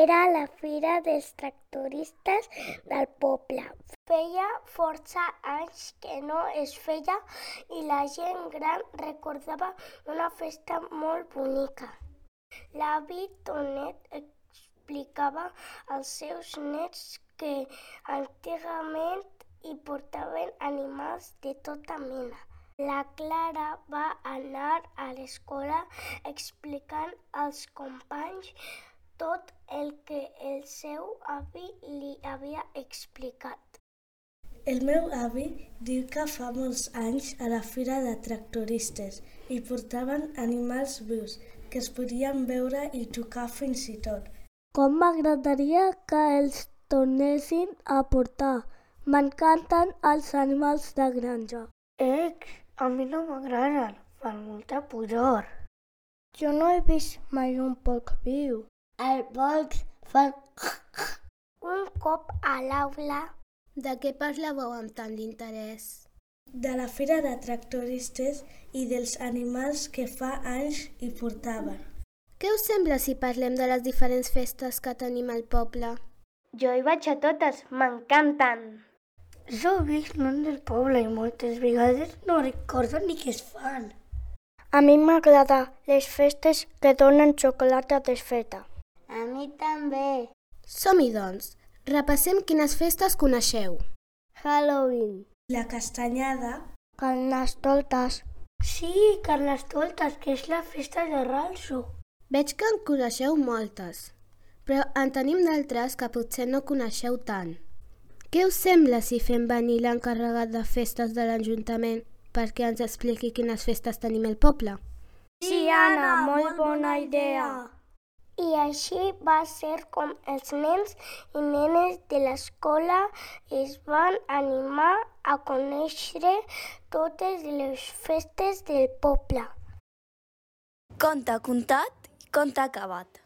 Era la fira dels tractoristes del poble. Feia força anys que no es feia i la gent gran recordava una festa molt bonica. L'avi Tonet explicava als seus nets que antigament hi portaven animals de tota mena. La Clara va anar a l'escola explicant als companys tot el que el seu avi li havia explicat. El meu avi diu que fa molts anys a la fira de tractoristes hi portaven animals vius que es podien veure i tocar fins i tot. Com m'agradaria que els tornessin a portar. M'encanten els animals de granja. A mi no m'agraden, fan molta pudor. Jo no he vist mai un porc viu. Els porcs fan... Un cop a l'aula... De què parlàveu amb tant d'interès? De la fira de tractoristes i dels animals que fa anys hi portaven. Què us sembla si parlem de les diferents festes que tenim al poble? Jo hi vaig a totes, m'encanten. Jo visc lluny del poble i moltes vegades no recordo ni què es fan. A mi m'agraden les festes que donen xocolata desfeta. A mi també. Som-hi, doncs. Repassem quines festes coneixeu. Halloween. La castanyada. Carnestoltes. Sí, Carnestoltes, que és la festa de Ralso. Veig que en coneixeu moltes, però en tenim d'altres que potser no coneixeu tant. Què us sembla si fem venir l'encarregat de festes de l'Ajuntament perquè ens expliqui quines festes tenim al poble? Sí, Anna, molt bona idea. I així va ser com els nens i nenes de l'escola es van animar a conèixer totes les festes del poble. Conte contat i conte acabat.